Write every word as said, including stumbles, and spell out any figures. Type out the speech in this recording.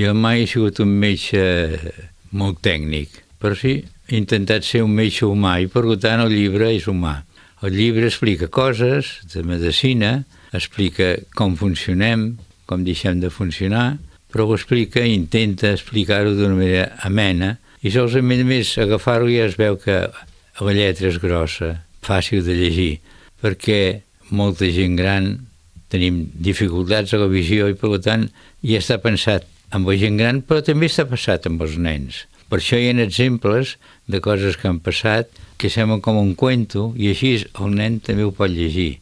Jo mai he sigut un metge molt tècnic, però sí, he intentat ser un metge humà i per tant el llibre és humà. El llibre explica coses de medicina, explica com funcionem, com deixem de funcionar, però ho explica i intenta explicar-ho d'una manera amena i solament més agafar-ho ja es veu que la lletra és grossa, fàcil de llegir, perquè molta gent gran tenim dificultats a la visió i per tant ja està pensat amb la gent gran, però també està passat amb els nens. Per això hi ha exemples de coses que han passat que semblen com un cuento i així el nen també ho pot llegir.